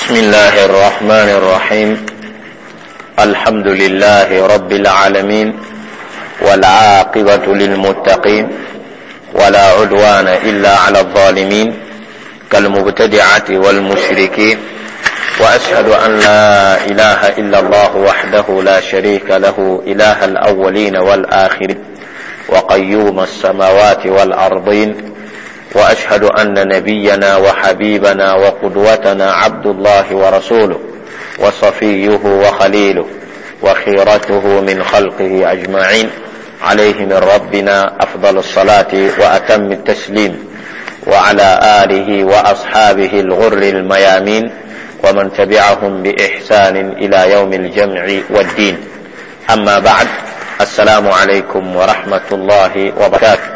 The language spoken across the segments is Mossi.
بسم الله الرحمن الرحيم. الحمد لله رب العالمين، والعاقبة للمتقين، ولا عدوان إلا على الظالمين كالمبتدعة والمشركين، وأشهد أن لا إله إلا الله وحده لا شريك له، إله الأولين والآخرين وقيوم السماوات والأرضين، وأشهد أن نبينا وحبيبنا وقدوتنا عبد الله ورسوله وصفيه وخليله وخيرته من خلقه أجمعين، عليه من ربنا أفضل الصلاة وأتم التسليم، وعلى آله وأصحابه الغر الميامين ومن تبعهم بإحسان إلى يوم الجمع والدين. أما بعد، السلام عليكم ورحمة الله وبركاته.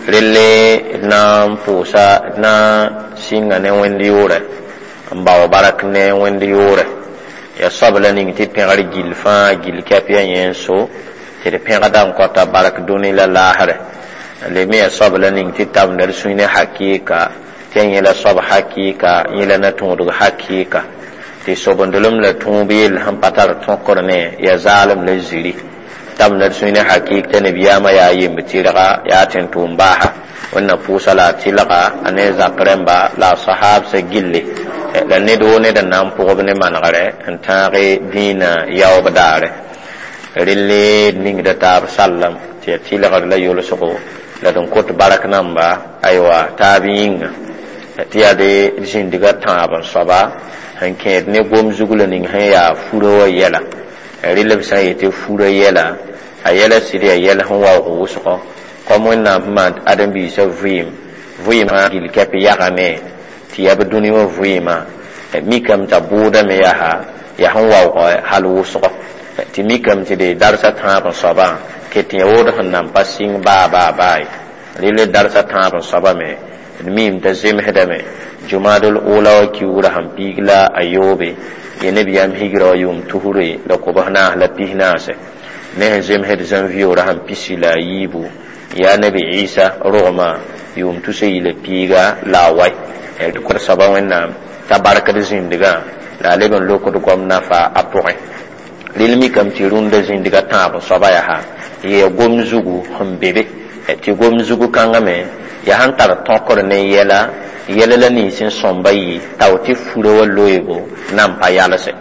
Relle d na n pʋʋsa, d na n sɩnga ne Wẽnd yʋʋrɛ, n bao bark ne Wẽnd yʋʋrɛ. Ya soab la ning tɩ pẽgr gill fãa, gill kɛp ya yẽ n so tɩ d pẽgda n kõta bark dũni la laasrɛ. Le me ya soab la ning tɩ tabenda d sũy ne hakɩɩka, tɩ ya yẽ la soab hakɩɩka, yẽ la na tõodg hakɩɩka, tɩ sobendelem la tõob yell sẽn pa tar tõkr ne ya zaalem la ziri. Tabenda d sũy ne hakɩɩk t'a nabiyaamã yaa yemb tɩrga, yaa tẽn-tʋʋm baasa. Wẽnna pʋʋsa la a tɩlga, a ne zak rẽmba la a sahaabsã gilli, la ned woo ned n na n pʋgb ne manegrɛ n tãag dĩinã yaoob daare. Relle d ningda taab sallam tɩ ya tɩlgr la yolsgo la d n kot bark namba, aywa, taab yĩnga, tɩ yaa de d zĩndga tãab n soaba sẽn kẽed ne gom zug la ning sẽn yaa furã wã yɛla. Rɩl b sã n yetɩ furã yɛla, a yɛla sɩd yaa yɛl sẽn waoog wʋsgɔ, kom Wẽnnaam sẽn maan ãdem-biisã vɩɩm, vɩɩmã gill kɛp yagame tɩ yaa b dũni wã vɩɩmã mikame t'a bʋʋdame yaa yaa sẽn waoog hal wʋsgɔ, tɩ mikame tɩ de darsa tãab n soabã ket yã wood sẽn nan pa sɩng baa baa baa ye. Rɩl darsa tãab n soaba me, d miime t'a zemsdame jumadl ola wã kiugrã sẽn piig la a yoobe, ye nebiyaam higra wã yʋʋm 294 ne sẽn zemsd zãnvioorã sẽn 14, yaa nabi Ɩsa rogmã yʋʋm 301. D kõ soaba Wẽnnaam t'a barkd zĩndgã la a leb n lokd goam nafa a pʋgẽ. Rɩl mikame tɩ rũndã zĩndgã tãab n soaba yaa yaa gom zugu sẽn be be, tɩ gom zugu kãngã me yaa sẽn tar tõkr ne yɛla, yɛla la nins n sõmba yɩ tao tɩ furã wã loeego nan pa yalse,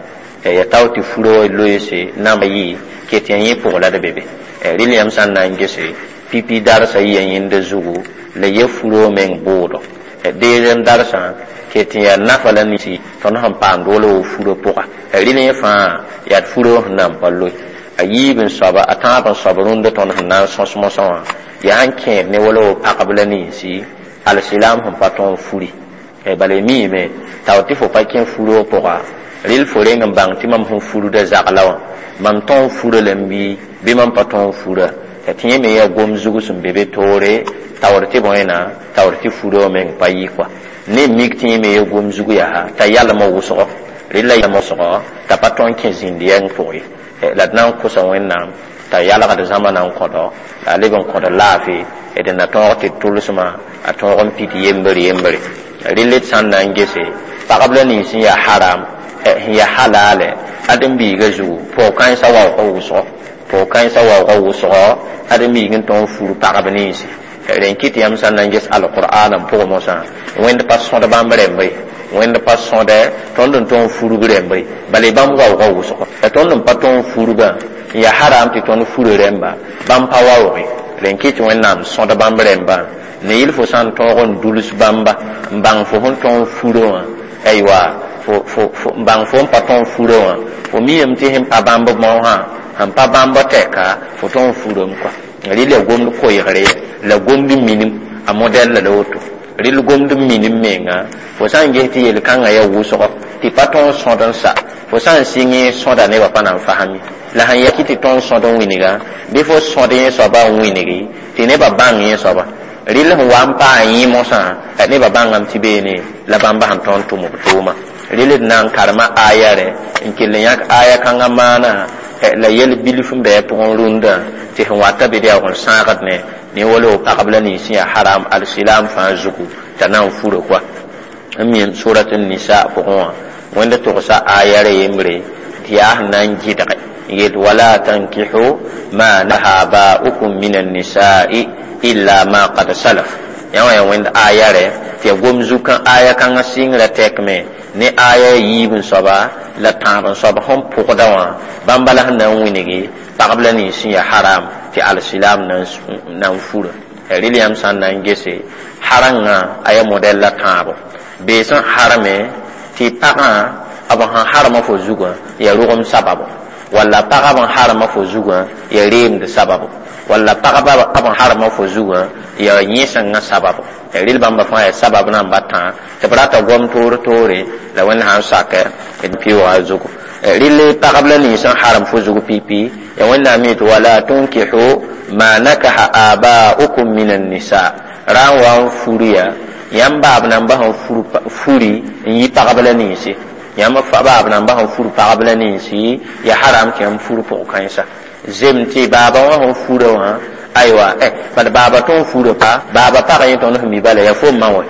ya tao tɩ furã wã loeese nan yɩ ket yã yẽ pʋg la d be be. Rɩl yãmb sã n na n gese pipi darsa yɩ ya yẽnda zugu la ya furã wã meng bʋʋdo deezem darsã ket n yaa nafa la ninsi tõnd sẽn paamd wala wo furã pʋga. Rɩl yẽ fãa yaa d furã wã sẽn na n pa loe. A yiib n soaba, a tãab n soab rũndã tõnd sẽn na n sõs mosã wã yaa sẽn kẽed ne wala wo pagb la ninsi alsilam sẽn pa tõog n furi. Bala y miime tao tɩ fo pa kẽ furã wã pʋga, rɩl fo reng n bãng tɩ mam sẽn furda zagla wã, mam tõog n fura lame bɩ mam pa tõog n fura. Tɩ yẽ me yaa gom zug sẽn be be toore taoor tɩ bõe na taoor tɩ furã wã meng pa yɩ kɔa. Ne mik tɩ yẽ me yaa gom zug yaa t'a yalmã wʋsgɔ, rɩla yalmã wʋsgɔ t'a pa tõog n kẽ zĩnd yɛng pʋgẽ ye. La d na n kosa Wẽnnaam t'a yalgd zãma na n kõdo, la a leb n kõd laafɩ d na tõog tɩ d tʋlsmã a tõog n pid yembre yembre. Rɩl d sã n na n gese pagb la nins sẽn yaa haram, sẽn yaa halaalɛ ãdem-biigã zugu, pʋg-kãensã waoogã wʋsgɔ, pʋg-kãensã waoogã wʋsgɔ ãdem-biig n tõog n fur pagb ninsi. Rẽn kɩt yãmb sã n na n ges alqur'aanã pʋgẽ mosã, Wẽnd pa sõd bãmb rẽmba ye, Wẽnd pa sõdɛ tõnd n tõog n furb rẽmba ye, bala bãmb waoogã wʋsgɔ. La tõnd n pa tõog n furbã n yaa haram tɩ tõnd fura rẽmba, bãmb pa waoog ye. Rẽn kɩt Wẽnnaam sõd bãmb rẽmbã ne yɩl fo sã n tõog n duls bãmba n bãng fo sẽn tõog n furã wã, aywa, n bãng fo n pa tõog n furã wã, fo miame tɩ sẽn pa bãmb maosã, sẽn pa bãmb tɛka, fo tõog n furame kɔa. Rɩl ya gomd koeegre la gomd minim a modɛl la woto. Rɩl gomd minim menga, fo sã n ges tɩ yel-kãngã yaa wʋsgɔ tɩ pa tõog n sõd n sa, fo sã n sɩng sõda nebã pa na n fasem ye. La sẽn ya kɩ tɩ tõog n sõd n wĩnga bɩ fo sõd yẽ soaba n wĩngi tɩ nebã bãng yẽ soaba. Rɩl sẽn wa n paa yẽ mosã, nebã bãngame tɩ beene la bãmba sẽn tõog n tʋm b tʋʋma. Rɩl d na n karema aya rẽ n kell n yãk aya kãngã maana la yɛl bilf n bɩ a pʋgẽ rũndã tɩ sẽn wata bɩ d yaa n sãagd ne wala wo pagb la nins yaa haram alsilam fãa zugu t'a na n fura kɔa. N mi surat nisa pʋgẽ wã wẽnd togsa aya ra yembre tɩ yaa sẽn na n gɩdge yet wala tankihu ma naha aba'ukum min annisa'i illa ma qad salaf. Yã wã yaa wẽnd aya rɛ tɩ ya gom zu-kã aya kãngã sɩngrã tɛkme ne aya yiib n soaba la tãab n soab sẽn pʋgda wã bãmba la sẽn na n wilgi pagb la nins sẽn yaa haram tɩ alsilam na n fura. Rɩl yãmb sã n na n gese harangã a yaa modɛl la tãabo bee sẽn harame tɩ pagã b sẽn harma fo zugã yaa rogem sababo walla pagã b sẽn harma fo zugã yaa reemd sababo walla pagba b sẽn harma fo zugã yaa yẽsengã sababo. Rɩl bãmba fãa yaa sabab namba tã tɩ b rata gom toor toore la wẽnd sã n sakɛ d pɩʋʋga zugu. Rɩl pagb la nins sẽn harem fo zug pipi ya wẽnnaam yetɩ wala tunkihu ma nakaha aba'ukum min annisa ra n wa n furi ya yãmb baab namba sẽn furi n yi pagb la ninsi yãmb baab namba sẽn fur pagb la ninsi ya haram tɩ yãmb fur pʋg-kãensa zem tɩ baaba wã sẽn fura wã aywa bad baaba tõn fura pa baaba pagã yẽ tõnd sẽn mi bala ya fo ma wã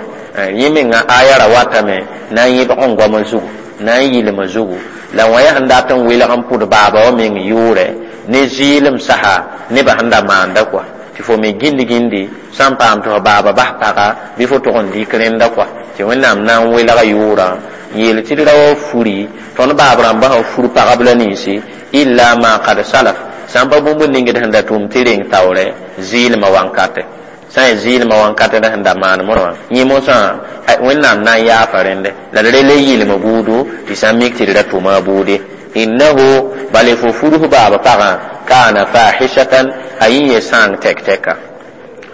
yẽ menga aya ra watame na n yẽbg n goamã zugu na n yɩlmã zugu la wã yaa sẽn dat n welg n pʋd baaba wã meng yʋʋrɛ ne zɩɩlem saha nebã sẽn da maanda kɔa tɩ fo me gĩnd gĩndi sã n paam tɩ fo baaba bas paga bɩ fo tʋg n dɩk rẽnda kɔa tɩ wẽnnaam na n welga yʋʋrã n yeel tɩ d ra wa furi tõnd baab rãmbã sẽn fur pagb la ninsi illa ma qad salaf sã n pa bũmb ningd sẽn da tʋʋm tɩ reng taoorɛ zɩɩlmã wankatɛ sã n zɩɩlmã wankatɛ la sẽn da maan mosã yẽ mosã wẽnnaam na n yaafa rẽndɛ la d re le yɩlem buudu tɩ sã n mik tɩ d ra tʋma a buude innahu bale fo furus baab pagã kaana fahishatan a yẽ ye sãang tɛk-tɛka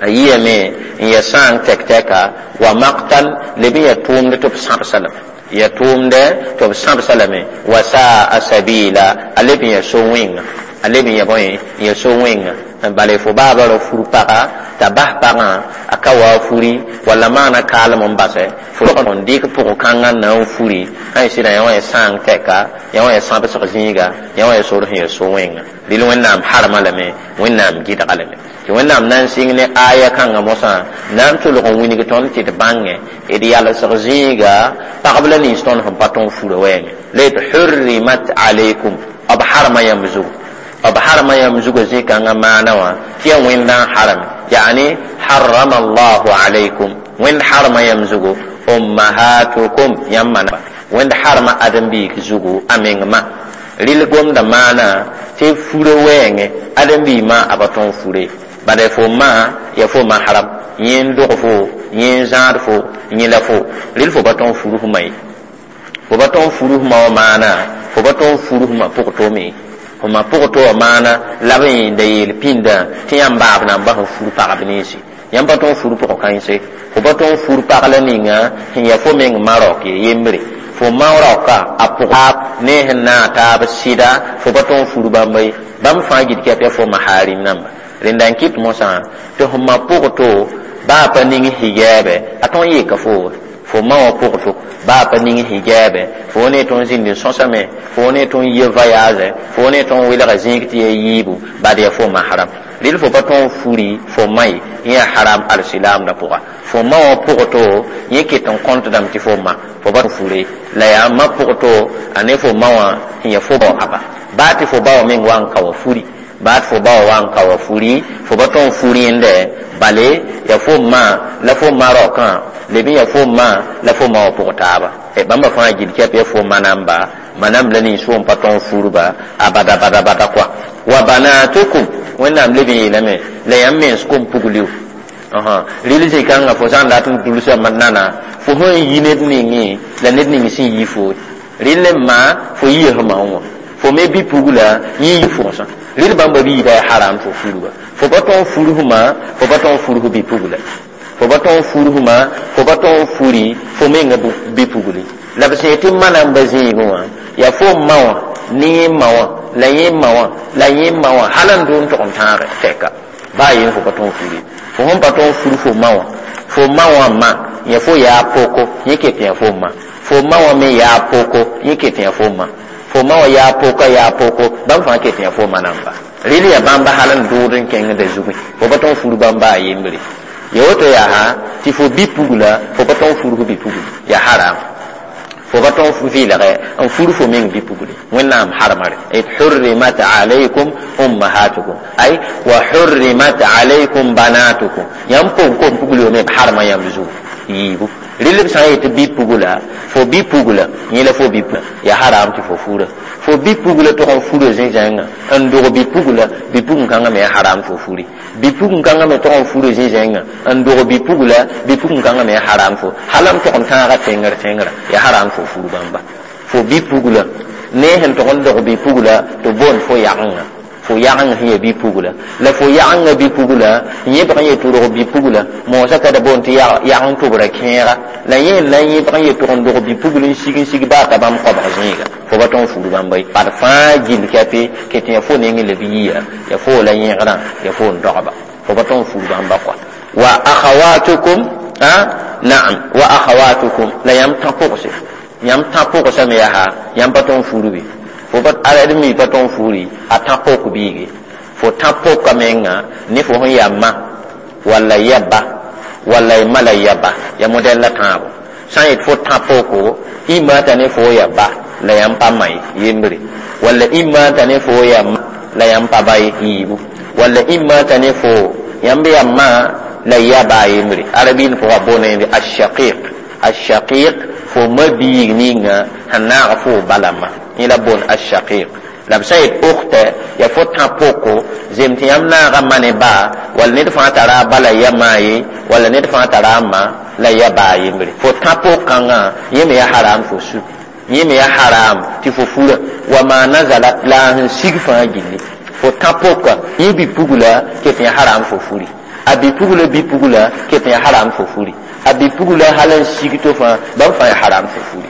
a yɩame n ya sãang tɛk-tɛka wa maktan leb n ya tʋʋmd tɩ b sãbsa lame ya tʋʋmdɛ tɩ b sãbsa lame wa saa sabila a leb n ya so-wẽnga a leb n ya bõe n ya so-wẽnga bale fo baaba ra fur paga t'a bas pagã a ka wa furi walla maana kaalem n basɛ fo n dɩk pʋg-kãngã na n furi sã n sɩda yã wã ya sãang tɛka yã wã ya sãbsg zĩiga yã wã ya sor sẽn ya so-wẽnga rɩl wẽnnaam harma lame wẽnnaam gɩdga lame tɩ wẽnnaam na n sɩng ne aya kãngã mosã na n tʋlg n wilg tõnd tɩ d bãngẽ d yalsg zĩiga pagb la nins tõnd sẽn pa tõn fura wɛɛngẽ la yet hurrimat alaykum b harma yãmb zugu b harma yãmb zugã zĩ-kãngã maana wã tɩ yaa wẽndã n harame yaani harrama allahu alaykum wẽnd harma yãmb zugu ummahatukum yãmb mana wẽnd harma ãdem-biig zugu a meng ma rɩl gomda maana tɩ fura wɛɛngẽ ãdem-biig ma a pa tõn fure bala fo ma ya fo ma haram yẽ n dog fo yẽ n zãad fo yẽ la fo rɩl fo pa tõn fur fma ye fo pa tõn fur fma wã maana fo pa tõn fur fma pʋg tome fo ma pʋg to wã maana la b yẽnda yeel pĩndã tɩ yãmb baab namba sẽn fur pagb ninsi yãmb pa tõn fur pʋg kãense fo pa tõn fur pag la ninga sẽn yaa fo meng ma raok ye yembre fo ma raoka a pʋga ne sẽn naag taab sɩda fo pa tõn fur bãmba ye bãmb fãa gɩd kɛp yaa fo maharim namba rẽnda n kɩt mosã tɩ f ma pʋg to baa pa ning higɛɛbɛ a tõn yeka fo fo ma wã pʋg to baa pa ning higɛɛbɛ fo ne tõn zĩnd n sõsame fo ne tõn yie voyage fo ne tõn welga zĩig tɩ ya yiibu bad yaa fo mahram rɩl fo pa tõn furi fo ma ye yẽ yaa haram alsilaamdã pʋga fo ma wã pʋg to yẽ ket n kõntdame tɩ fo ma fo pa fure la yaa ma pʋg to a ne fo ma wã sẽn yaa fo aba baa tɩ fo ba wã meng wa n ka wa furi baa tɩ fo ba wã wa n ka wa furi fo pa tõn fur yẽndɛ bale yaa fo ma la fo ma raokã leb n yaa fo ma la fo ma wã pʋg taaba bãmba fãa gil kɛp yaa fo ma namba ma namb la nins fo n pa tõn furba a bada bada bada kɔa wa banatukum wẽnnaam leb n yeelame la yãmb mens kom pugl rɩl zĩ-kãngã fo sã n dat n dulsa nana fo sẽn yi ned ningẽ la ned ning sẽn yi fo rɩl n ma fo yia sẽn ma wã fo me bi-pugla yẽ yi fʋgsã rɩl bãmba biida yaa haram fo furba fo pa tõn fur fma fo pa tõn fur f bi-pugla fo pa tõn fur fma fo pa tõn furi fo menga bi-pugli la b sẽn tɩ ma namba zĩigẽ wã yaa fo ma wã ne yẽ ma wã la yẽ ma wã la yẽ ma wã hal n dʋ n tʋg n tãage tɛka baa yen fo pa tõn furi fo sẽn pa tõn fur fo ma wã fo ma wã ma yẽ fo yaa poko yẽ ket yã fo ma fo ma wã me yaa poko yẽ ket yã fo ma fo ma wã yaa poka yaa poko bãmb fãa ket yã fo ma namba rɩl yaa bãmba hal n dʋʋd n kẽngda zugẽ fo pa tõn fur bãmba a yembre Ya woto yaa sã tɩ fo bi-pugla, fo pa tõog n furg bi-pugl, ya haram. Fo pa tõog n vɩɩlgɛ n fur fo meng bi-pugli. Wẽnnaam harma re. Et hurrimat alaykum ummahatukum, ay wa hurrimat alaykum banatukum. Yãmb pʋgẽ kom pugl me b harma yãmb zugu yiibu. Rɩl b sã n yetɩ bi-pugla, fo bi-pugla yẽ la fo bi-pugla, ya haram tɩ fo fura. Fo bi-pugla tʋg n fura zĩ-zẽngã n dog bi-pugla, bi-pugl-kãngã me ya haram fo furi. Bi-pugl-kãngã me tʋg n fura zĩ-zẽngã n dog bi-pugla, bi-pugl-kãngã me ya haram fo. Hal n tʋg n tãaga tẽngr tẽngrã, ya haram fo fur bãmba. Fo bi-pugla ne sẽn tʋg n dog bi-pugla tɩ boond fo yagenga. Fo yagenga sẽn ya bi-pugla. La fo yagenga bi-pugla, yẽbg n yetɩ rog bi-pugla, moosã ka da boond tɩ yageng tʋbrã kẽega. La yẽ n na n yẽbg n yetɩ n dog bi-pugl n sig baa t'a bãmb koabg zẽega. Fo pa tõog n fur bãmba ye. Bad fãa gill kɛpɩ ket ya fo neng la b yiya, ya fo la yẽgrã, ya fo n dogba. Fo pa tõog n fur bãmba kɔa. Wa akhawatukum, naam, wa akhawatukum, la yãmb tã pʋgse. Yãmb tã pʋgsame yaa yãmb pa tõog n fur be. Fo pa ad mi pa tõog n furi a tã pok biige. Fo tã poka menga ne fo sẽn yaa ma walla ya ba walla y ma la ya ba, ya modɛl la tãabo. Sã n yet fo tã poko, y maata ne fo ya ba la yãmb pa ma ye yembre, walla y maata ne fo ya ma la yãmb pa ba ye yiibu, walla y maata ne fo yãmb ya ma la ya ba yembre. Arabiin pʋga boona yẽmbe ashaqiq. Ashaqiq fo ma biig ninga sẽn naag fo bala ma. Yẽ la boon ashaqiq. La b sã n yet ukhta, ya fo tã poko, zem tɩ yãmb naaga ma ne ba, walla ned fãa tara a ba la ya ma ye, walla ned fãa tara a ma la ya ba yembre. Fo tã pok-kãngã yẽ me ya haram fo su. Yẽ me ya haram tɩ fo fura. Wa ma nazalat la a sẽn sig fãa gilli. Fo tã poka, yẽ bi-pugla ket ya haram fo furi. A bi-pugla bi-pugla ket ya haram fo furi. A bi-pugla hal n sig to fãa, bãmb fãa ya haram fo furi.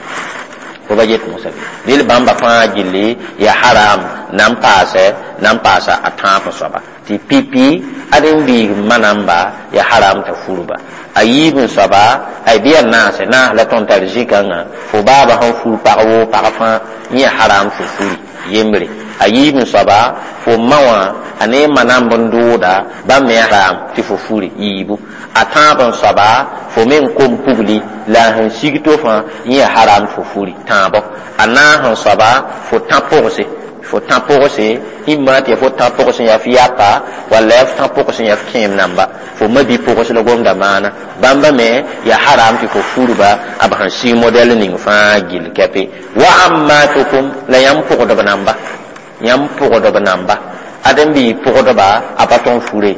Fo ba yet mosã be. Rel bãmba fãa gilli ya haram na n paasɛ, na n paasa a tãab soaba. Tɩ pipi ad n biig ma namba ya haram t'a furba. A yiib n soaba, ay bɩ ya naase, naas la tõnd tar zĩ-kãngã, fo baaba sẽn fur pag woo pag fãa, yẽ ya haram fo furi yembre. A yiib n soaba, fo ma wã, a ne ma namb n dʋʋda, bãmb me ya haram tɩ fo furi yiibu. A tãab n soaba, fo me n kom pugli, la a sẽn sig to fãa, yẽ ya haram fo furi tãabo. A naas n soaba, fo tã pʋgse. Fo tã pʋgse, ĩmma tɩ ya fo tã pʋgs n yaa f yapa, walla ya f tã pʋgs n yaa f kẽem namba. Fo ma bi-pʋgs la gomda maana. Bãmba me ya haram tɩ fo furba a b sẽn sig modɛl ning fãa gill kɛpɩ. Wa ammatukum, la yãmb pʋgdb namba. Yãmb pʋgdb namba. Ad n bɩ pʋgdba, a pa tõog n fure.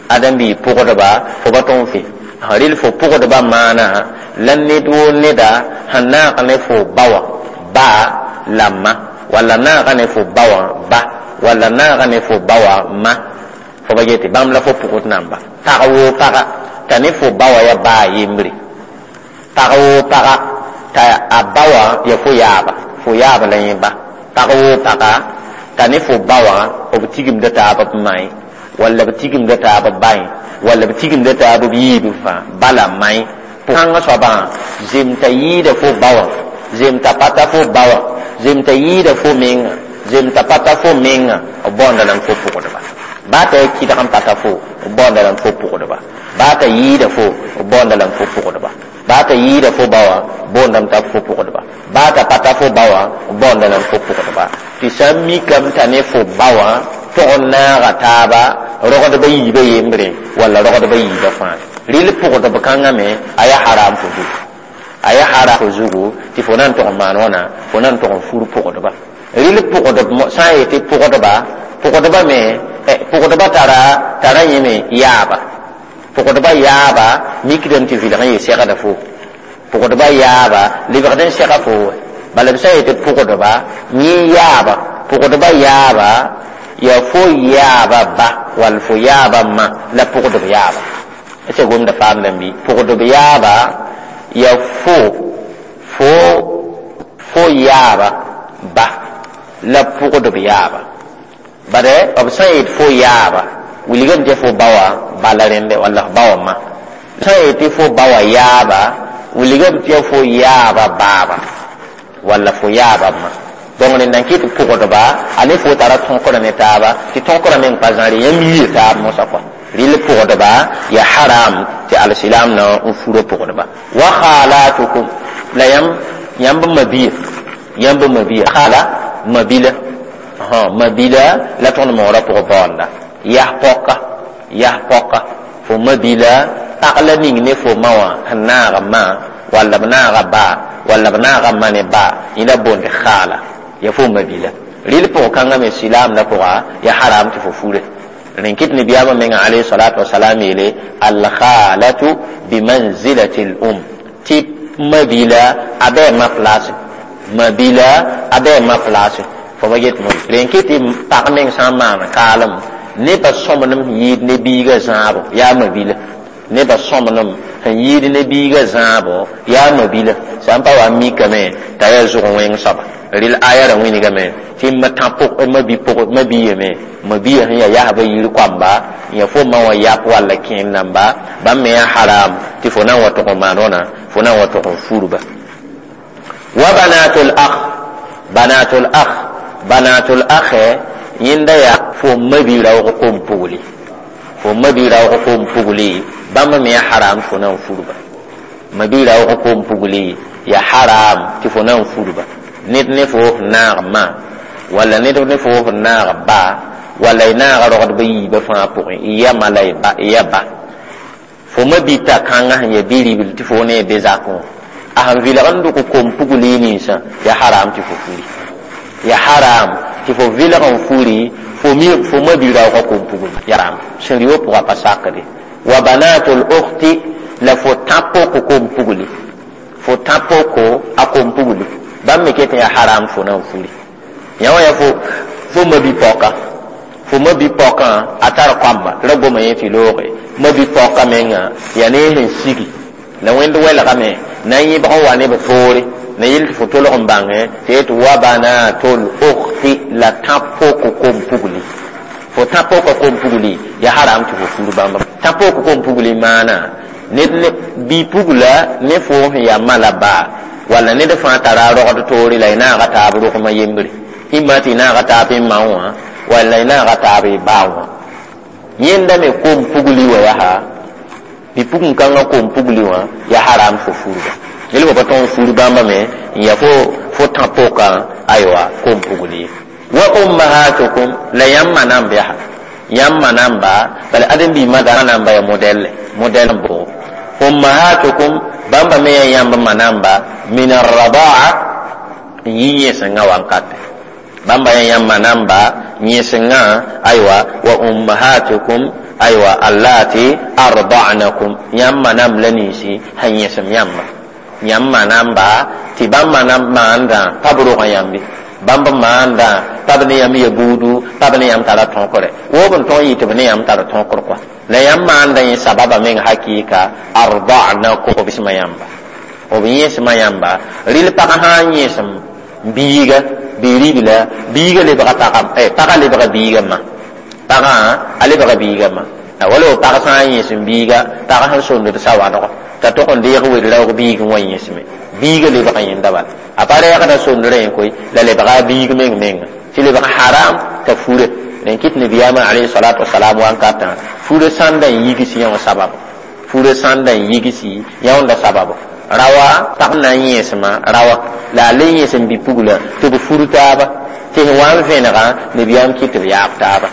Ad n bɩ pʋgdba, fo pa tõog n fe. Rel fo pʋgdba maana, la ned woo neda sẽn naag ne fo ba wã, ba la ma, walla naaga ne fo ba wã ba, walla naaga ne fo ba wã ma. Fo ba yetɩ bãmb la fo pʋgd namba. Pag woo paga, t'a ne fo ba wã ya baa yembre. Pag woo paga, t'a a ba wã ya fo yaaba, fo yaaba la yẽ ba. Pag woo paga, t'a ne fo ba wã b tigimda taab b ma ye, walla b tigimda taab b ba ye, walla b tigimda taab b yiib fãa, ba la ma ye. Kãngã soabã zem t'a yɩɩda fo ba wã, zem t'a pa ta fo ba wã, zem t'a yɩɩda fo menga, zem t'a pa ta fo menga, b baoonda lame fo pʋgdba. Baa t'a ya kɩdg n pata fo, b baoonda lame fo pʋgdba. Baa t'a yɩɩda fo, b baoonda lame fo pʋgdba. Baa t'a yɩɩda fo ba wã, boondame t'a fo pʋgdba. Baa t'a pa ta fo ba wã, b baoonda lame fo pʋgdba. Tɩ sã n mikame t'a ne fo ba wã tog n naaga taaba rogdba yiibã yembre walla rogdba yiibã fãa. Rɩl pʋgdb kãngã me a ya haram fo zugu. A ya haram fo zugu tɩ fo na n tog n maan wãna, fo na n tog n fur pʋgdba. Rɩl pʋgdb sã n yetɩ pʋgdba, pʋgdba me, pʋgdba tara yẽ me yaaba. Pʋgdba yaaba mikdame tɩ vɩlg n yɩ segda fo. Pʋgdba yaaba lebgd n sega fo. Bala b sã n yetɩ pʋgdba, yẽ yaaba, pʋgdba yaaba ya fo yaaba ba wall fo yaaba ma la pʋgdb yaaba. Sã gomda paamdame bɩ pʋgdb yaaba ya fo yaaba ba la pʋgdb yaaba. Bare b sã n yet fo yaaba wilgame tɩ fo ba wã bala rẽnde walla f ba wã ma. Sã n yetɩ fo ba wã yaaba wilgame tɩ fo yaaba baaba walla fo yaaba ma. Donc rẽnda n kɩt pʋgdba a ne fo tara tõkr ne taaba, tɩ tõkrã meng pa zãre yãmb yii taab mosã kɔa. Rɩl pʋgdba ya haram tɩ alsilam na n fura pʋgdba. Wa khalatukum, la yãmb mabia, yãmb mabia khala mabila, mabila la tõnd moorã pʋgẽ baoonda yas pɔka, yas pɔka. Fo mabila pag la ning ne fo ma wã sẽn naaga ma, walla b naaga ba, walla b naaga ma ne ba, yẽda boond khala, ya fo mabila. Rɩl pʋg kãngã me silaamdã pʋga ya haram tɩ fo fure. Rẽn kɩt nabiyaamã menga alayhi salatu wasalam yeele alkhalatu bimanzilati l-um, tɩ mabila a bɩ ma place, mabila a bɩ ma place. Fo ba get mo rẽn kɩt tɩ pag meng sã n maan kaalem nebã sõmblem sẽn yɩɩd ne biigã zãabo yaa mabila, nebã sõmblem sẽn yɩɩd ne biigã zãabo yaa mabila. Sã n pa wa n mikame t'a yaa zʋg wẽng soaba. Rɩl aya ra wĩnigame tɩ ma bi yeme, mabia sẽn yaa yasbã yir koamba, ya fo ma wã yap walla kẽen namba, bãmb me yaa haram tɩ fo na n wa tʋg n maan wãna, fo na n wa tʋg n furba. Wa banatul akh, banatul akh, banatul akh yẽnda yaa fo mabi raoog kom pugli, fo mabi raoog kom pugli, bãmb me yaa haram fo na n furba. Mabi raoog kom pugli ya haram tɩ fo na n furba. Ned ne fo naag ma, walla ned ne fo naag ba, walla y naaga rogdbã yiibã fãa pʋgẽ, y ya ma la y ya ba. Fo mabita kãngã sẽn ya bi-ribl tɩ fo ne be zakẽ wã, a sẽn vɩlg n dʋk kom pugli ninsã, ya haram tɩ fo furi, ya haram tɩ fo vɩlg n furi fo mabi-raoogã kom pugli, ya haram. Sẽn rɩ pʋgã pa sakde. Wa banatul ukhti, la fo tã-poko kom pugli, fo tã-poko a kom pugli, bãmb me ket n yaa haram fo na n furi. Yã wã yaa fo mabi-paoka, fo mabi-paokã a tar koamba tɩ ra goma yẽ tɩ looge mabi-paoka menga yaa ne sẽn sigi la wẽnd welgame na n yẽbg n wa ne b toore na yel tɩ fo tolg n bãngẽ tɩ yet wa banatul ukhti, la tã-poko kom pugli. Fo tã-poka kom pugli ya haram tɩ fo fur bãmba. Tã-poko kom pugli maana ned ne bi-pugla ne fo sẽn yaa ma la ba, walla ned fãa tara a rogd toore la y naaga taab rogmã yembre, ĩmma tɩ y naaga taab y ma wã, walla y naaga taab y baa wã. Yẽnda me kom pugli wã yaa bi-pugẽ-kãngã kom pugli wã ya haram fo furba. Yel pa tõg n fur bãmba me n yaa fo tã-pokaã aywa kom pugli. Wa ummahatukum, la yãmb ma namb yaa yãmb ma namba, bala ãdem-biig ma namba ya modɛlle, modɛl n bʋgo. Ummahatukum, bãmba me yaa yãmb ma namba min arradaa, n yi yẽsengã wankate, bãmba yaa yãmb ma namba yẽsengã aywa. Wa ummahatukum aywa allati arda'nakum, yãmb ma namb la ninsi sẽn yẽsem yãmba, yãmb ma namba tɩ bãmb ma namb maandã pa b rogã yãmbe, bãmb maandã pa b ne yãmb ya buudu, pa b ne yãmb tara tõkre, woob n tõog n yɩ tɩ b ne yãmb tara tõkr kɔa, la yãmb maandã yẽ sababa meng hakɩɩka arda'nakum, b sẽma yãmba, b yẽsma yãmba. Rɩl pag sã n yẽsem biiga bi-ribla, biiga lebga pagã, pagã lebga biiga ma, pagã a lebga biiga ma. Wala pag sã n yẽsem biiga, pag sẽn sõnd sawadgo t'a tog n deeg wel-raoog biigẽ wã yẽsme, biiga lebga yẽnda bala, a pa reegda sondrã yẽ koe, la lebga a biig meng menga tɩ lebg haram t'a fure. Rẽn kɩt nabiyaamã alayhi salatu wasalam wankatã fure sãnda n yigs yã wã sabab, fure sãnda n yigsi yã wãnda sabab. Rawa pag na n yẽsma rawa la a le yẽsem bi-pugla tɩ b fur taaba, tɩ sẽn wa n vẽnegã nabiyaam kɩt tɩ b yaab taaba.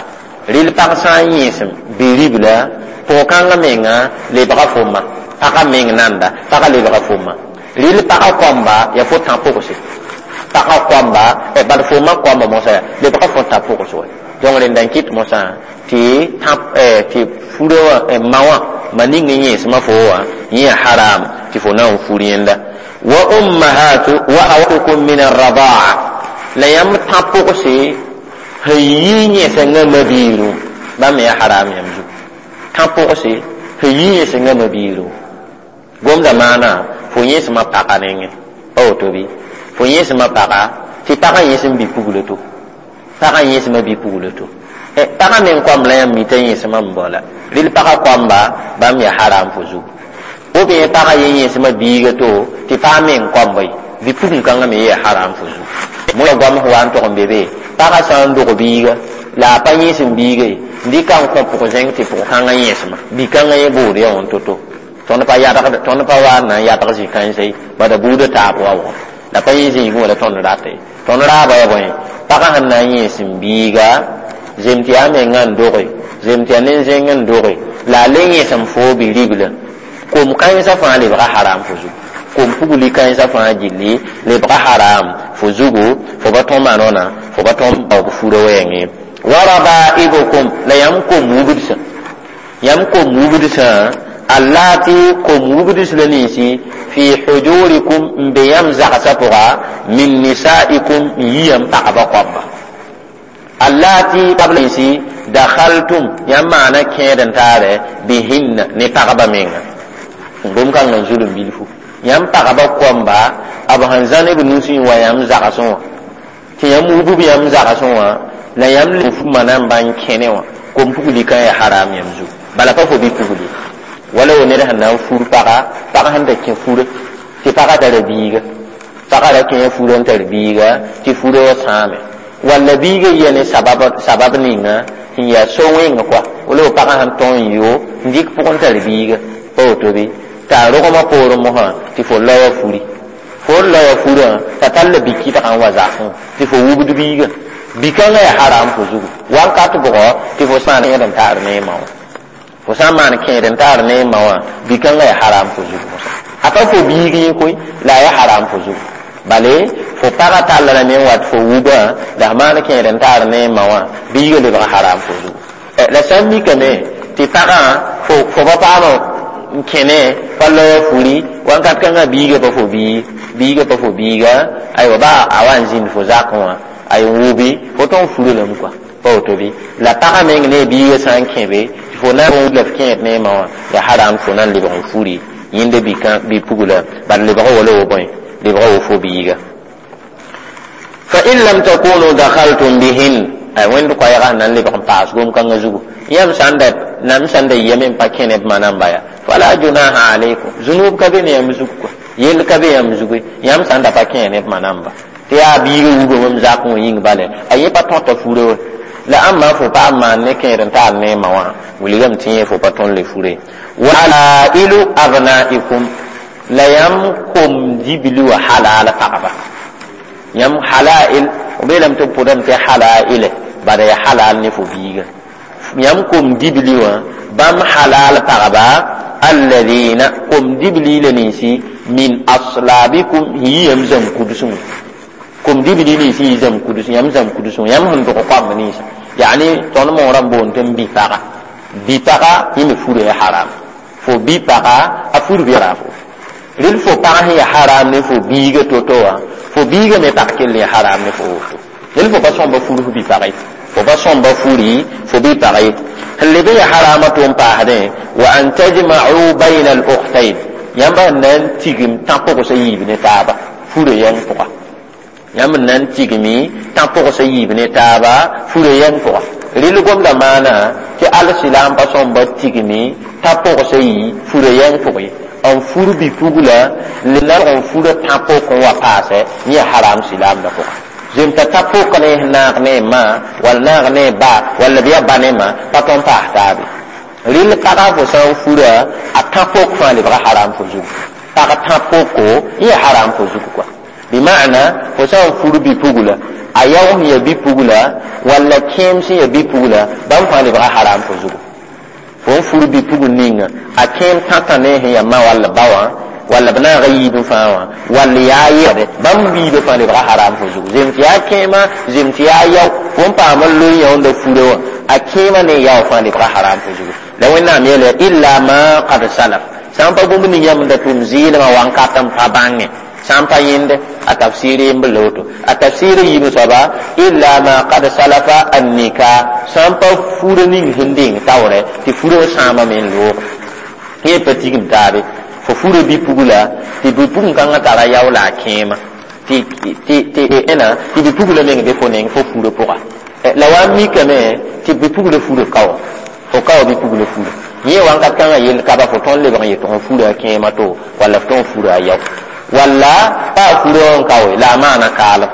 Rɩl pag sã n yẽsem bi-ribla, pʋg-kãngã menga lebga fo ma, pagã meng nanda, pagã lebga fo ma. Rɩl pagã koamba yaa fo tã-pʋgse, pagã koamba bad fo ma koamba mosã yaa lebga fo tã-pʋgs wa. Donc rẽnda n kɩt mosã tɩ tɩ furã wã ma wã ma ning n yẽsmã fo wã yẽ yaa haram tɩ fo na n fur yẽnda. Wa ummahatu wa awatukum min arradaa, la yãmb tã-pʋgse sẽn yi yẽsengã mabiiru, bãmb me yaa haram yãmb zugu. Tã-pʋgse sẽn yi yẽsengã mabiiru gomda maana fo yẽsmã pagã nengẽ, pa woto bɩ fo yẽsmã pagã tɩ pagã yẽsem bi-puglo to, pagã yẽsmã bi-puglo to, pagã meng koamb la yãmb mi t'a yẽsmã n baoola. Rɩl pagã koamba bãmb yaa haram fo zugu. Ou bien pagã ye yẽsmã biiga to tɩ pag meng koamba ye, bi-pugẽ-kãngã me yaa haram fo zugu. Mo goam sẽn wa n tog n be be pagã sã n dog biiga la a pa yẽesem biiga ye n dɩka n kõ pʋg-zẽng tɩ pʋg-kãngã yẽesma bi-kãngã yẽ bood ya wã to-to tõnd pa yadgd tõnd pa wa n na n yadg zĩ-kãensã ye bada buudã taab wa wʋgẽ la pa yẽ zĩigẽ wã la tõnd rata ye tõnd raaba ya bõe pagã sẽn na n yẽesem biiga zem tɩ yaa mengã n doge zem tɩ yaa nen-zẽng n doge la a le yẽesem foo bi-ribla kom-kãensã fãa lebga haram fo zugu kom pugli kãensã fãa gilli lebga haram fo zugu fo pa tõm maan wãna fo pa tõm baoog furã wɛɛngẽ wa rabaibukum la yãmb kom wubdsã yãmb kom wubdsã allati kom wubds la ninsi fi hujurikum n be yãmb zagsã pʋga min nisaikum n yi yãmb pagba koaba allati pagb ninsi dakhaltum yãmb maana kẽed n taare bihinna ne pagba menga gom kãngã n zulum bilfu yãmb pagba koamba b sẽn zã ne b nusẽ wa yãmb zagsẽ wã tɩ yãmb wub yãmb zagsẽ wã la yãmb le fu manamba n kẽne wã kom pugli kã ya haram yãmb zugu bala pa fo bi-pugli wala wo ned sẽn na n fur paga pag sẽn da kẽ fura tɩ pagã tara biiga pagã ra kẽ furã n tar biiga tɩ furã wã sãame walla biiga yia ne sabab ninga sẽn yaa so-wẽng kɔa wala wo pagã sẽn tõe n yo n dɩk pʋgẽ tar biiga pa woto bɩ t'a rogmã poorẽ mosã tɩ fo laoã furi fo n laoã furã t'a tall bi-kɩdgã n wa zakẽ tɩ fo wubd biiga bi-kãngã yaa haram fo zugu wakat bʋgɔ tɩ fo sã n kẽed n taar ne ma wã fo sã n maan kẽed n taar ne ma wã bi-kãngã yaa haram fo zugu mosã a pa fo biig yẽ koe la a yaa haram fo zugu bale fo pagã tall lame n wat fo wubã la f maan kẽed n taar ne ma wã biigã lebg haram fo zugu la sã n mikame tɩ pagã fo pa paam n kẽne pa laoã furi wakat kãngã biigã pa fo biig biigã pa fo biiga aywa ba a wa n zĩnd fo zakẽ wã ay n wubi fo tõe n fura lame kɔa pa woto bɩ la pagã meng ne biigã sã n kẽ be tɩ fo na n la f kẽed ne ma wã yaa haram fo na n lebg n furi yẽnda bi-pugla bad lebg wala wo bõe lebg wo fo biiga fa in lam takunu dakhaltum bihin ay wẽnd koɛɛgã sẽn na n lebg n paas gom-kãngã zugu yãmb sã n da nam sã n da yame n pa kẽ ne b manamba ya fala junaha alaykum zunub ka be ne yãmb zugu kɔa yell ka be yãmb zugu yãmb sã n da pa kẽ ne b manamba tɩ yaa biigã wubame m zakẽ wã yĩng bale a yẽ pa tõta furã wa la ãmba fo paam maan ne kẽed n taar ne ma wã wilgame tɩ yẽ fo pa tõnd le fure wa halailu abnaikum la yãmb kom dibli wã halal pagba yãmb halail b beelame tɩ b pʋdame tɩ halaile bala ya halal ne fo biiga yãmb kom dibli wã bãmb halal pagba alladina kom dibli la ninsi min aslabikum yi yãmb zãmb kudsẽ kom dibli ninsi yi zãmb kudsẽ yãmb zãmb kudsẽ yãmb sẽn dog koamb ninsa yani tõnd moorã n boond tɩ n bi-paga bi-paga yẽ me fura ya haram fo bi-paga a fur bɩ haram rel fo pag sẽn ya haram ne fo biiga to-to wã fo biiga me pag kell ya haram ne fo woto rel fo pa sõmba fur fo bi-pag ye fo pa sõmba furi fo bi-pag ye sẽn leb n ya harama tʋ n paasdẽ wa an tajma'u bayna al-ukhtayn yãmb sẽn na n tigim tã-pʋgsã yiib ne taaba furã yɛng pʋga yãmb n na n tigmi tã-pʋgsã yiib ne taaba furã yɛng pʋga rɩl gomda maana tɩ al-silaam pa sõmba tigmi tã-pʋgsã yi furã yɛng pʋg ye n fur bi-pugla le na n furã tã-pʋk n wa paasɛ yẽ haram silaamdã pʋga zem t'a tã-pʋk ne naag ne ma wall naag ne ba walla b yaa ba ne ma pa tõn paas taabe rɩl pagã fo sã n fura a tã-pʋk fãa lebga haram fo zugu pag tã-pʋko yẽ haram fo zugu kɔa bima'na fo sã n fur bi-pugla a yao sẽn ya bi-pugla walla kẽem sẽn ya bi-pugla bãmb fãa lebga haram fo zugu fo n fur bi-pugl ninga a kẽem tãtã ne sẽn ya ma walla ba wã walla b naaga yiib fãa wã wall yaa yɛde bãmb yiibã fãa lebga haram fo zugu zem tɩ yaa kẽema zem tɩ yaa yao fo n paam n loe yãoonda furã wã a kẽema ne yao fãa lebga haram fo zugu la wẽnnaam yeela illa ma qad salaf sã n pa bũmb ning yãmb da tʋm zɩɩlmã wãnkat n pa bãnge sã n pa yẽnde a tafsir yemb la woto a tafsir yiib soaba illa ma qad salafa annika sã n pa furã ning sẽn deng taoorɛ tɩ furã wã sãamame n loog yẽ pa tigim taabe fo furã bi-pugla tɩ bi-pugl-kãngã tara yao la a kẽema tɩ ẽna tɩ bi-pugla meng be fo neng fo furã pʋga la wa n mikame tɩ bi-pugla furã kao fo kao bi-pugla furã yẽ wãnkat kãngã yell ka ba fo tõnd lebg n yet f furã a kẽema to walla f tõnd furã a yao walla pa a furã wã n kaoe la a maana kaalem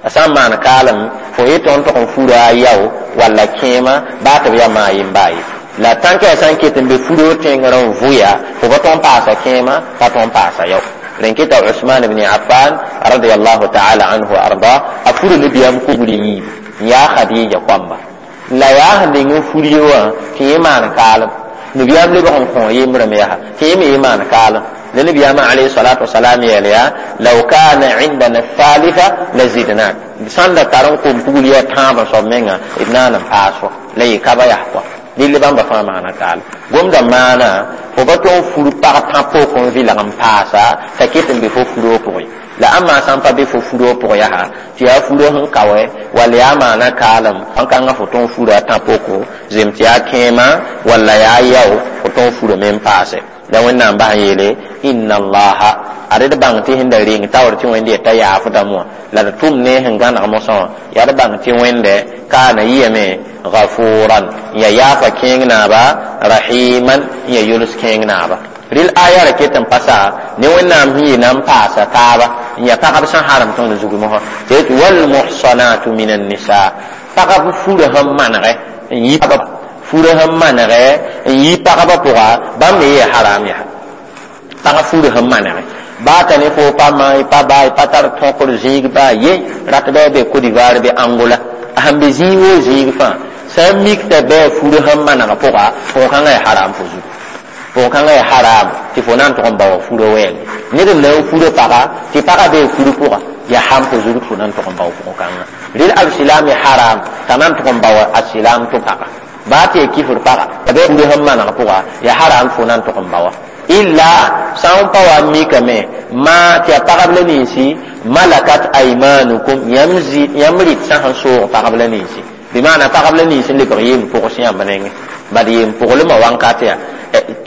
A sã n maan kaalem fo yetɩ n tog n fura a yao walla kẽema baa tɩ b yaa maa yem baa ye la tãnka yaa sã n ket n be furo tẽngr n vʋya fo pa tõg n paasa kẽema pa tõg n paasa yao rẽn keta Usman ibn Affan radiyallahu ta'ala anhu wa arda a fura nabiyaam kugr yiib n yaa Khadija koamba la yaa sẽn deng n fur ye wã tɩ yẽ maan kaalem nabiyaam lebg n kõ yembrame yaa tɩ yẽ me yẽ maan kaalem la nabiyaamã alayhi salatu wasalam yeel yaa law kana indana thalitha la zidnak sãn da tar n kom pugl yaa tãabã soab menga d naan n paas fo la yɩ ka ba yaa kɔa dɩl bãmba fãa maana kaal gomda maana fo pa tõog fur pag tã pok n vɩlg n paasa t'a ket n be fo furo pʋgẽ la ãmba sã n pa be fo furo pʋgẽ yaa tɩ yaa furo sẽn kaoɛ walla yaa maana kaalem kãngã fo tõog fura tã poko zem tɩ yaa kẽema walla yaa yao fo tõog furame n paase la wẽnnaam bas n yeele inna allaha ad d bãng tɩ sẽn da reng taoor tɩ wẽnd yeta yaafdame wã la d tʋm ne sẽn gãneg mosã wã yaa d bãng tɩ wẽnde kaana yɩame gafuran n yaa yaafa kẽeng naaba rahiman n yaa yols kẽeng naaba rɩl aya ra ket n pasa ne wẽnnaam sẽn yɩ na n paasa taaba n yaa pagb sẽn harem tõnd zug mosã tɩ yetɩ walmuhsanatu min annisa pagb fura sẽn manegɛ n yi fura sẽn manegɛ n yi pagba pʋga bãmb me yee haram yaa pag fura sẽn manegɛ baa t'a ne fo pa ma y pa baa y pa tar tõkr zĩig baa ye rat bɩ be Côte d'Ivoire be Angola a sẽn be zĩig woo zĩig fãa sã n mik t'a bɩ fura sẽn maneg pʋga pʋg-kãngã yaa haram fo zugu pʋg-kãngã yaa haram tɩ fo na n tʋg n baoa fura wɛɛngẽ ned n na n fura paga tɩ pagã bee fur pʋga yaa ham fo zug tɩ fo na n tʋg n bao pʋg-kãngã rel alsilam yaa haram t'a na n tʋg n baoa asilam tʋ paga baa tɩ yaa kifr paga t'a bɩ fura sẽn maneg pʋga yaa haram fo na n tʋg n baoa illa sã n pa wa n mikame maa tɩ yaa pagb la ninsi malakat aymanukum yãmb rɩt sã sẽn soog pagb la ninsi bɩ maana pagb la nins n lebg yem pʋgs yãmb nengẽ bad yem pʋglmã wãnkat yaa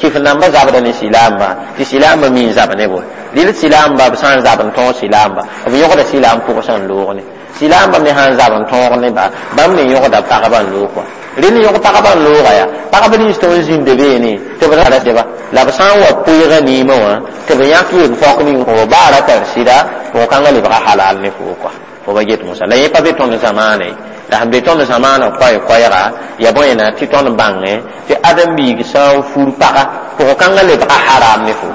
kɩf nambã zabda ne silaamba tɩ silaambã mi n zab ne bo rɩl silaamba b sã n zab n tõog silaamba b yõgda silaam pʋgsã n loog ne silaamba me sã n zab n tõog neba bãmb me yõgda pagba n loog kɔa rɩl yõg pagba n looga yaa pagb nins tõnd zĩnda beene tɩ b ra seba la b sã n wa pʋɩga niimã wã tɩ b yãk yem pɔk ning fo baa ra tar sɩda pʋg-kãngã lebga halal ne fo kɔa fo ba get mosa la yẽ pa be tõnd zamaane la sẽn be tõnd zamaanã koɛɛ-koɛɛga yaa bõe na tɩ tõnd bãngẽ tɩ ãdem-biig sã n fur paga pʋg-kãngã lebga haram ne fo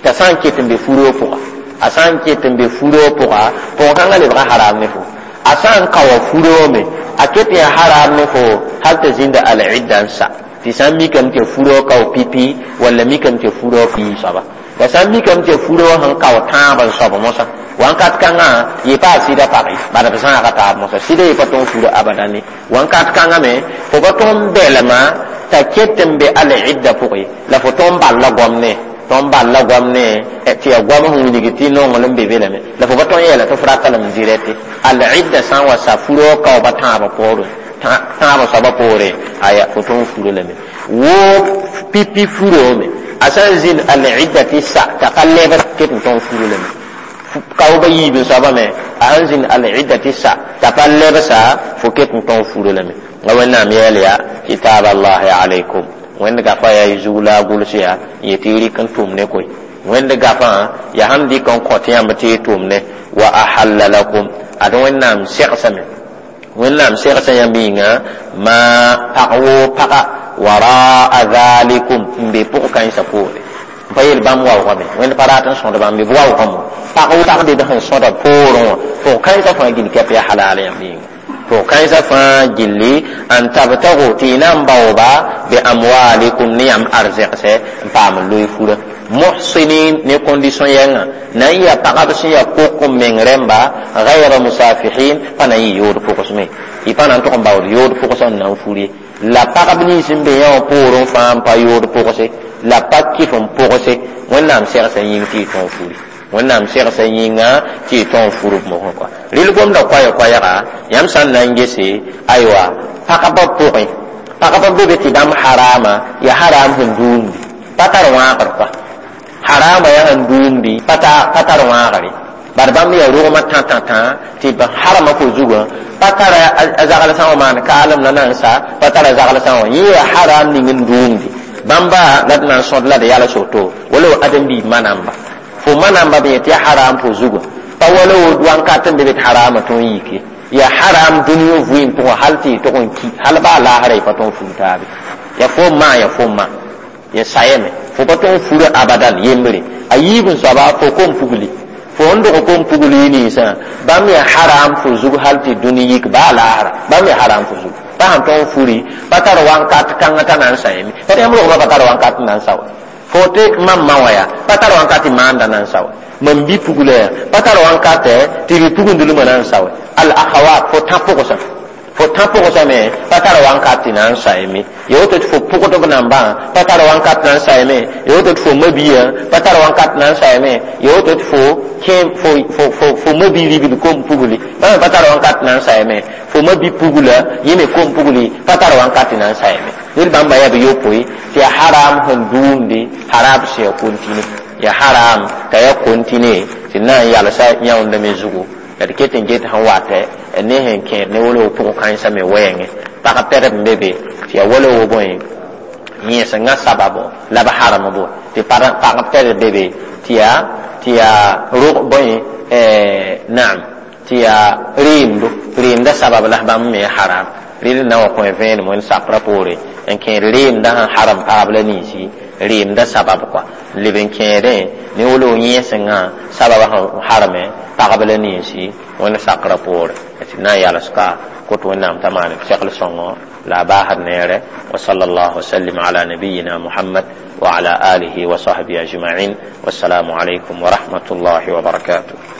t'a sã n ket n be furo pʋga a sã n ket n be furo pʋga pʋg-kãngã lebga haram ne fo a sã n kaoa furome a ket n yaa haram ne fo hal t'a zĩnda al-idda n sa tɩ sã n mikame tɩ furo kao pipi walla mikame tɩ furo yii soaba la sã n mikame tɩ furo sẽn kao tãab n soab mosã wãnkat kãngã yɩ pa a sɩda pag ye bala b zãaga taab mosã sɩda yɩ pa tõog fura abadan ye wãnkat kãngã me fo pa tõog n bɛlma t'a ket n be al-idda pʋgẽ la fo tõog n balla goam ne tõnd balla goam ne tɩ yaa goam sẽn wilg tɩ nonglem be be lame la fo pa tõog n yeela tɩ f rata lame dirɛte al-idda sã n wa sa furo kaooba tãabã poorẽ tãabã soabã poorẽ aya fo tõog n furo lame woo pipi furome a sã n zĩnd al-idda tɩ sa t'a ka lebr ket n tõog furo lame kaooba yiib n soabã me a sãn zĩnd al-idda tɩ sa t'a pa lebsa fo ket n tõog furo lame la wẽnnaam yeel yaa kitab allahi alaykum wẽnd gafã yaa y zug la a gʋls yaa n yetɩ y rɩk n tʋm ne koe wẽnd gafã yaa sãn dɩk n kõt yãmb tɩ y tʋm ne wa ahalla lakum ad wẽnnaam segsame wẽnnaam segsa yãmb yĩnga maa pag woo paga waraa dhalikum n be pʋg-kãensã poore n pa yeel bãmb waoogame wẽnd pa rat n sõd bãmb b waoogame pag woo pag bed sẽn sõda poorẽ wã pʋg-kãensã fãa gill kɛp yaa halal yãmb yĩnga pʋg-kãensã fãa gilli n tabtagu tɩ y na n baooba bi amwalikum ne yãmb arzɛgsɛ n paam n loe fura muhsinin ne condition yɛngã na n yaa pagb sẽn yaa kok n meng rẽmba gayra musafihin pa na n yɩ yood pʋgsme y pa na n tʋg n baood yood pʋgsã n na n fur ye la pagb nins n be yã wã poorẽ fãa n pa yood pʋgse la pa kɩf n pʋgse wẽnnaam segsã yĩng tɩ y tõog furi wẽnnaam segsã yĩnga tɩ y tõog fur b mosẽ kɔa rɩl gomda koɛɛ-koɛɛga yãmb sã n na n gese aywa pagba pʋgẽ pagba be be tɩ bãmb harama yaa haram sẽn duumdi pa tar wãagr kɔa harama yaa sẽn duumdi pa tar wãagre bad bãmb yaa rogmã tã-tã-tã tɩ b harama fo zugã pa tara a zagl sã wã maan kaalem la na n sa pa tara zagl sã wã yẽ yaa haram ning n duumdi bãmba la d na n sõd la d yals woto wala adem-biib manamba fo manamba b yẽ tɩ yaa haram fo zugã Pa wala wo wankat n be be tɩ harama tõe n yike. Ya haram dũni vɩɩm pʋgẽ hal tɩ y tog n ki, hal baa laasra y pa tõe n fur taabe. Ya fo n maa, ya fo n maa, ya sayame, fo pa tõe n fura abadan yembre. A yiib n soaba fo kom pugli, fo n dog kom pugli ninsã, bãmb ya haram fo zug hal tɩ dũni yik baa laasra, bãmb ya haram fo zug. Pa sãn tõe n furi, pa tar wankat kãngã t'a na n sãyame. Pa yãmb rogba pa tar wankat n na n sa wa. Fo tɩ mam ma wã yaa pa tar wankat tɩ maanda na n sa wa. Mam bi pugla yaa pa tar wankatɛ tɩ bi pugundlmã na n sa wa. Al akhawat, fo tã pʋgsã, fo tã pʋgsã me pa tar wankat tɩ na n saeme. Ya woto tɩ fo pʋgdb nambã pa tar wankat na n saeme. Ya woto tɩ fo mabia pa tar wankat na n saeme. Ya woto tɩ fo kẽ fo mabi ribl kom pugli, bãmb me pa tar wankat na n saeme. Fo mabi pugla yẽ me kom pugli pa tar wankat na n saeme. Ned bãmba yaa b yopoe tɩ ya haram sẽn duumde harab sẽn ya kontine, ya haram t'a ya kontine tɩ na n yalsa yãoonda me zugu. La d ket n get sẽn watɛ ne sẽn kẽed ne wolo pʋgẽ kãensã me wɛɛngẽ pag tɛdb n be be tɩ ya wala wo bõe yẽsengã sababo la b harem bo tɩ pagb tɛdb be be tɩ ya rog bõe naam tɩ ya reemdo reemda sabab la bãmb me haram. Rɩd na wa kõ vẽenem wẽnd sakrã poore n kẽed reemda sẽn haram paab la ninsi reemda sabab kɔa n leb n kẽedẽ ne wolo yẽsengã sabab sẽn harame pagb la ninsi wẽnd sakrã poore tɩ na n yals ka kot wẽnnaam t'a maan segl sõngo la a baasd neere. Wa sallallahu wasallim ala nabiyina Muhammad wa ala alihi wa sahbihi ajma'in. Wassalamu alaykum wa rahmatullahi wa barakatuh.